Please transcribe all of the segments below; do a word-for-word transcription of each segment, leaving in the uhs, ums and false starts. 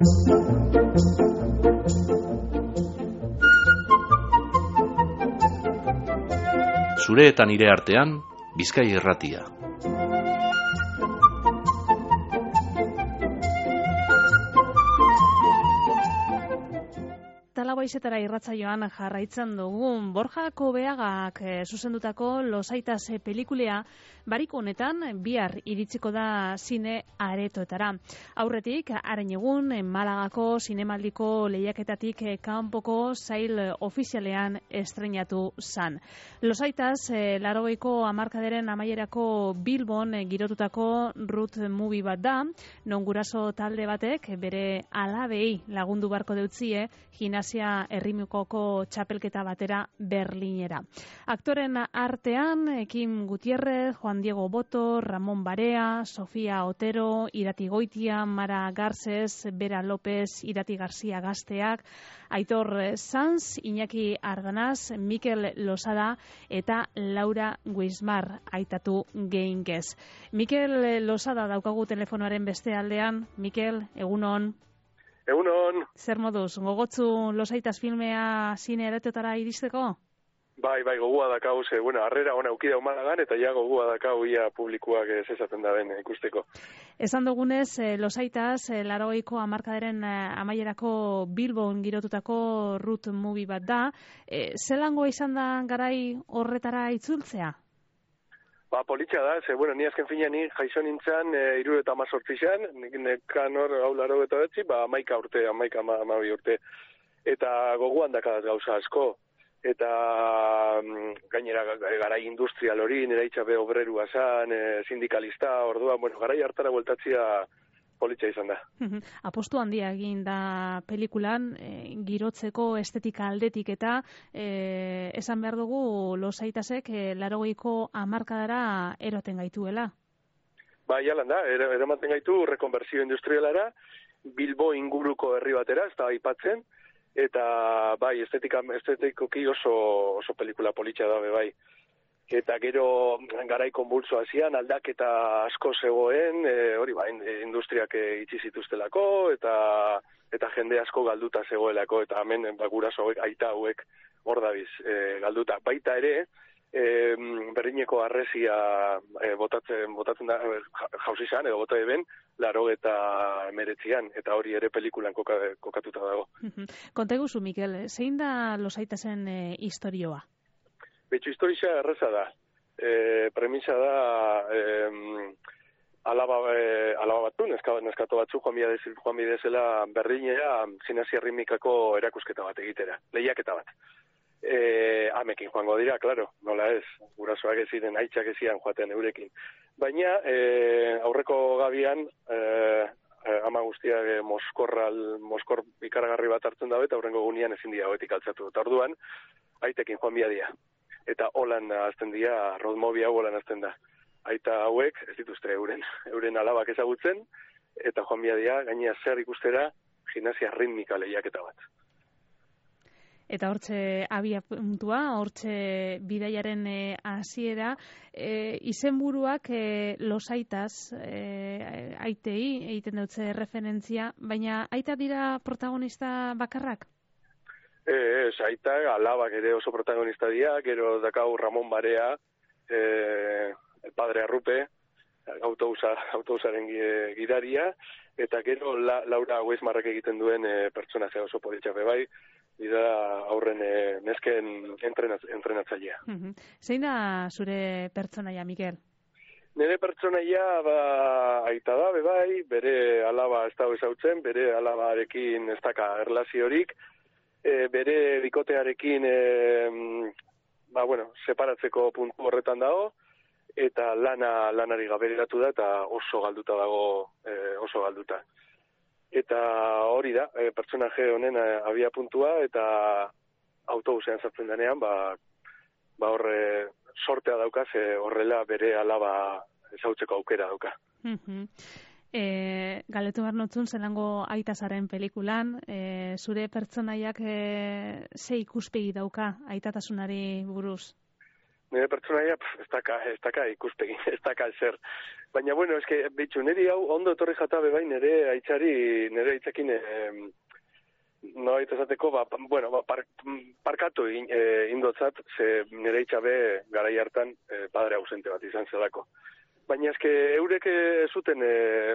Zure eta nire artean, Bizkai Irratia. Talabaizetara irratsaioan jarraitzen dugun Borja Kobeagak e, zuzendutako Losaitas pelikulea barik honetan bihar iritsiko da zine aretoetara. Aurretik, haren egun Malagako zinemaldiko lehiaketatik kanpoko sail ofizialean estreinatu zan. Losaitas e, larogeiko hamarkadaren amaierako Bilbon e, girotutako road movie bat da, non guraso talde batek bere alabei lagundu barko deutzie gimnasia errimukoko txapelketa batera Berlinera. Aktoren artean, Kim Gutierrez, Juan Diego Boto, Ramon Barea, Sofia Otero, Irati Goitia, Mara Garces, Bera López, Irati García Gazteak, Aitor Sanz, Iñaki Arganaz, Mikel Losada eta Laura Guismar aitatu geinkez. Mikel Losada daukagu telefonoaren beste aldean. Mikel, egunon. Egunon. Zer moduz, gogotzu Losaitas filmea zine aretoetara iristeko? Bai, bai, gogua dakau, ze, bueno, harrera ona ukida humanagan, eta ja gogua dakau ia publikoak zezaten da den ikusteko. Esan dugunez, Losaitas, larogeiko hamarkadaren amaierako Bilbon girotutako road movie bat da. E, zelangoa izan da garai horretara itzultzea? Ba, politxa da, ze, bueno, ni azken fina ni jaixo nintzen, e, iru eta amazortzizan, nekan hor hau laro eta betzi, ba, amaika urte, amaika amabi urte. Eta goguan dakadaz gauza asko. Eta gainera garai industrial hori, nera itxabe obrerua zan, e, sindikalista, orduan, bueno, garai hartara bueltatzia politxa izan da. Apostu handia egin da pelikulan, e, girotzeko estetika aldetik eta e, esan behar dugu Losaitasek e, larogeiko hamarkadara eroten gaituela. Ba, jalan da, eramaten gaitu rekonbertsio industrialara, Bilbo inguruko herri batera, ez da aipatzen, eta bai, estetika, estetikoki oso, oso pelikula politxa da, bai. Eta gero garai konbultso hasian aldaketa asko zegoen, e, hori ba, industriak itxi zituztelako, eta eta jende asko galduta zegoelako, eta hemen ba, guraso hauek, aita hauek hor dabiz e, galduta. Baita ere, e, Berlineko harresia e, botatzen, botatzen da, jauzi zan, edo bota eben, laro eta emeretzian, eta hori ere pelikulan koka, kokatuta dago. Konta eguzu, Mikel, zein da Losaitasen e, historioa? Betxo historia erreza da. E, premisa da e, alaba, e, alaba batu, neska, neskato batzu joan bidezela, joan bidezela Berlinera gimnasia ritmikako erakusketa bat egitera, lehiaketa bat. E, amekin joango dira, claro, nola ez, gurasoak ez ziren, aitzak ez ziren joaten eurekin. Baina e, aurreko gabian e, ama guztiak e, moskorral, moskor ikaragarri bat hartzen dabe, eta aurrengo gunean ezin dira hoetik altzatu. Eta orduan, aitekin joan biadia. Eta holan azten dira, roadmovie hau holan azten da. Aita hauek, ez dituzte euren, euren alabak ezagutzen, eta joan biadia, gainea zer ikustera, gimnasia ritmika lehiaketa bat. Eta hortxe abia puntua, hortxe bidaiaren hasiera, e, izenburuak e, Losaitas e, aitei, egiten dutze referentzia, baina aita dira protagonista bakarrak? Ez, aita, alabak ere oso protagonista dira, gero dakau Ramon Barea, eh, el padre Arrupe, autobusa, autobusaren gidaria, eta gero la, Laura Guismarrek egiten duen e, pertsonazia oso politxape bai, dira aurren e, nesken entrenatz, entrenatzailea. Uh-huh. Zein da zure pertsonaia, Mikel? Nire pertsonaia ba, aita da, bai, bere alaba ez dago ezautzen, bere alabarekin ez daka erlaziorik, E, bere bikotearekin e, ba, bueno, separatzeko puntu horretan dago, eta lana lanari gaberatu da, eta oso galduta dago, e, oso galduta. Eta hori da, e, pertsonaje honen abia puntua, eta autobusean sartzen denean, ba, ba horre sortea dauka, ze horrela bere alaba ezautzeko aukera dauka. Uh-huh. E, galetu behar notzun, zelango aitasaren pelikulan, e, zure pertsonaiak e, ze ikuspegi dauka aitatasunari buruz? nire pertsonaia, ez daka, ez daka ikuspegi, ez daka zer. Baina, bueno, eske, bitxu, niri hau ondo etorri jatabe bai, nire aitzari, nire aitzakin, eh, no baita esateko, ba, bueno, ba, par, parkatu in, eh, indotzat, ze nire aitzabe garai hartan eh, padre ausente bat izan zelako. Baina eske, eurek zuten eh,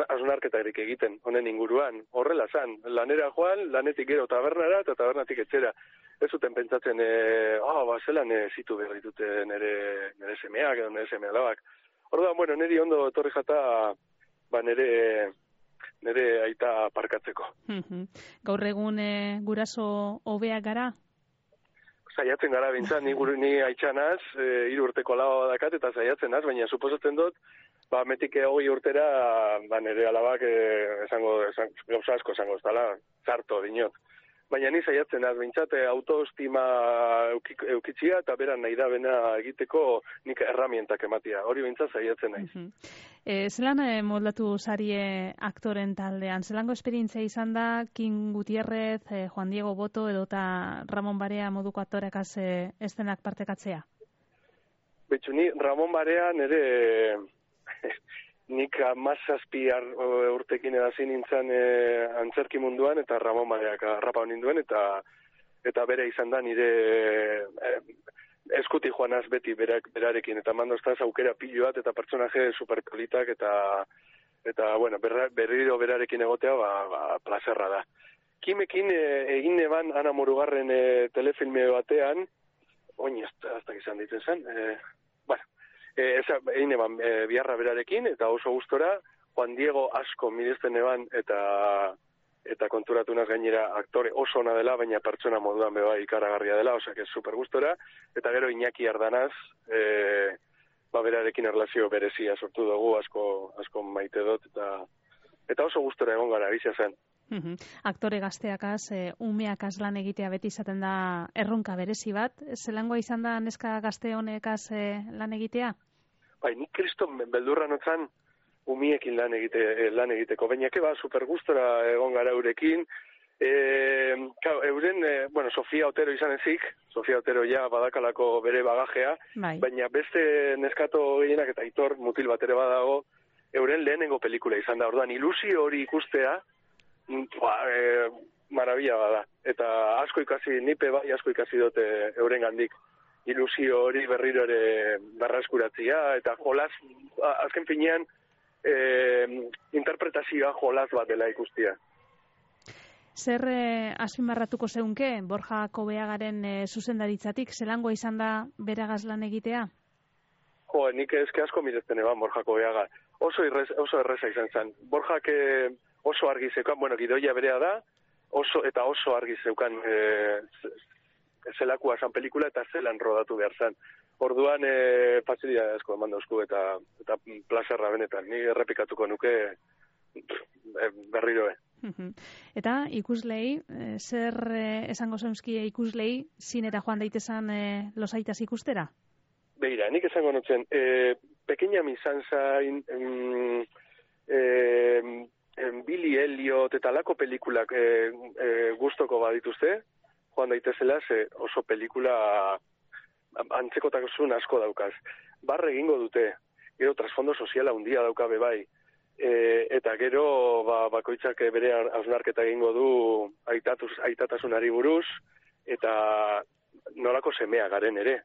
hausnarketarik egiten, honen inguruan, horrela zan, lanera joan, lanetik gero tabernara, eta tabernatik etxera. Ez zuten pentsatzen, eh, oh, ba, zelan eh, zitu behar ditute nire, nire semeak edo nire semea labak. Orduan, bueno, niri ondo etorri jata, ba, nire, nire aita parkatzeko. Gaur egun e, guraso hobeak gara? Saiatzen gara bintzat, ni, ni aitxanaz, e, hiru urteko lau dakat eta saiatzen az, baina suposatzen dut, ba, metik hogei urtera, ba, nire alabak e, esango, esan, gauza asko esango, ez dala, zarto dinot. Baina ni saiatzen az, bintzat, autoestima eukitzia eta beran nahi da bena egiteko nik erramientak ematia. Hori bintzat saiatzen naiz. Uh-huh. e, zelan e, moldatu zarie aktoren taldean? Zelango esperientzia izan da King Gutierrez, e, Juan Diego Boto edo eta Ramon Barea moduko aktorekaz e, estenak partekatzea? Betxu, ni Ramon Barea nire... Nik amazazpi urtekin edazin nintzen e, antzerki munduan eta Ramon Bareak arrapa ninduen eta eta bere izan da nire e, eskuti joanaz beti berak, berarekin eta mandostaz aukera pilo bat eta pertsonaje superpolitak eta eta bueno, berra, berriro berarekin egotea ba, ba, plazerra da. Kimekin e, egin neban Ana Murugarren e, telefilme batean, oin ez da izan ditzen zen, e, bueno, E, eza, egin eban e, biharra berarekin, eta oso gustora, Juan Diego asko miresten eban, eta eta konturatu naz gainera aktore oso ona dela, baina pertsona moduan beba ikaragarria dela, osak ez super gustora, eta gero Iñaki Ardanaz, e, ba berarekin erlazio berezia sortu dugu, asko, asko maite dut, eta eta oso gustora egon gara, bizia zen. Uhum. Aktore gazteakaz, e, umeakaz lan egitea beti izaten da erronka berezi bat. Zelangoa izan da neska gazte honekaz e, lan egitea? Bai, nik kriston beldurra notzan umiekin lan, egite, lan egiteko. Baina keba, super gustora egon gara eurekin. E, kao, euren, e, bueno, Sofia Otero izan ezik, Sofia Otero ja badakalako bere bagajea, bai. Baina beste neskato gehienak eta Aitor mutil bat ere badago, euren lehenengo pelikula izan da. Orduan, ilusio hori ikustea, Ba, e, marabila bada. Eta asko ikasi, nipe bai asko ikasi dute euren gandik. Ilusio hori berriro ere berraskuratzia, eta jolas, azken finean, e, interpretazioa jolas bat dela ikustia. Zer e, azpimarratuko zeunke, Borja Kobeagaren e, zuzendaritzatik, zelangoa izan da beragaz lan egitea? Jo, nik ezke asko miretzen eban Borja Kobeaga. Oso, irrez, oso erreza izan zen. Borjak oso argi zeukan, bueno, gidoia berea da, oso eta oso argi zeukan e, zelakua zan pelikula eta zelan rodatu behar zen. Orduan, e, facilidad asko eman dauzku eta, eta plazerra benetan. Ni errepikatuko nuke e, berriro, eh. Eta ikuslei, zer esango zeuzkie ikuslei, zinera joan daitezan e, losaitas ikustera? Begira, nik esango nutzen, e, pequeña misanzain, em, em, em, Billy Elliot eta lako pelikulak e, e, gustoko badituzte, joan daitezela, ze oso pelikula antzekotasun asko daukaz. Barre egingo dute, gero trasfondo soziala handia daukabe bai, e, eta gero ba, bakoitzak bere hausnarketa egingo du aitatuz, aitatasunari buruz, eta nolako semea garen ere.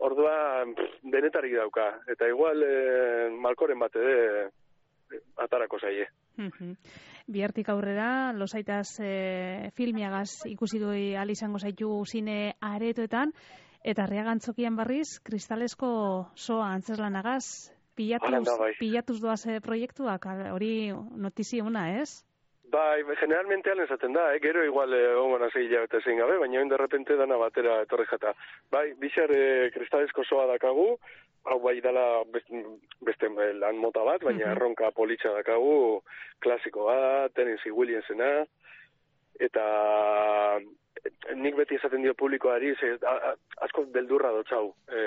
Ordua denetarik dauka, eta igual e, malkoren bat ere atarako zaie. Bihartik aurrera, losaitas e, filmiagaz ikusi dui izango zaitu zine aretoetan, eta Arriagantzokian barriz, kristalesko soa antzeslanagaz, pilatuz, pilatuz doaz e, proiektuak, hori notizia una, ez? Bai, generalmente alen esaten da, eh? Gero igual egon gana zei hilabete zein gabe, baina oin derrepente dana batera etorri jata. Bai, bizar e, kristalesko soa dakagu, hau bai dala beste, beste lan mota bat, baina uh-huh. erronka politxa dakagu, klasiko bat, Tennessee Williamsena, eta nik beti esaten dio publikoari, ze, a, a, asko beldurra dotxau e,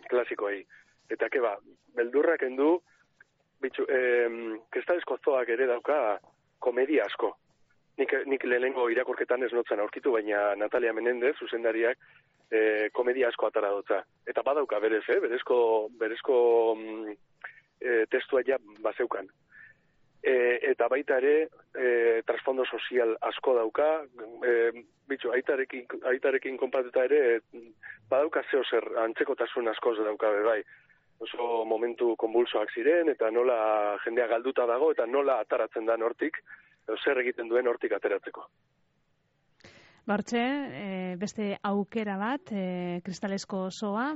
klasikoei. Eta keba, beldurrak endu, bitxu, e, kristalesko zoak ere dauka komedia asko. nik, nik lehenengo irakorketan ez notzen aurkitu, baina Natalia Menendez, zuzendariak, e, komedia asko atara dutza. Eta badauka berez, eh? berezko, berezko mm, e, testua ja bazeukan. E, eta baita ere, e, trasfondo sozial asko dauka, e, bitxo, aitarekin, aitarekin konpatuta ere, badauka zeo zer antzekotasun askoz dauka, bai. Oso momentu konbulsoak ziren, eta nola jendea galduta dago, eta nola ataratzen da hortik, zer egiten duen hortik ateratzeko. Hortxe, e, beste aukera bat, e, Kristalesko osoa,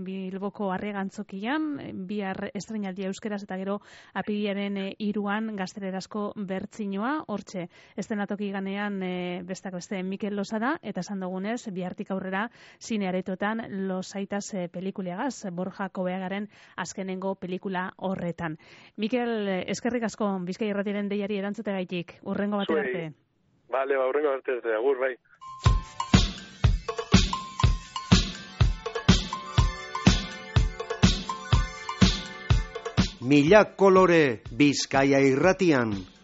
Bilboko Arregantzokian, bihar estreinaldia euskeraz eta gero apirilaren hiruan gaztelerazko bertsinoa, hortxe, estenatoki ganean e, bestak beste Mikel Losada, eta esan dugunez, bihartik aurrera zinearetotan Losaitas e, pelikuleagaz, Borja Kobeagaren azkenengo pelikula horretan. Mikel, eskerrik asko, Bizkai Irratiaren deiari erantzutegaitik, urrengo batera arte. Bale, ba, urrengo batera arte, agur, bai. Mila kolore Bizkaia Irratian.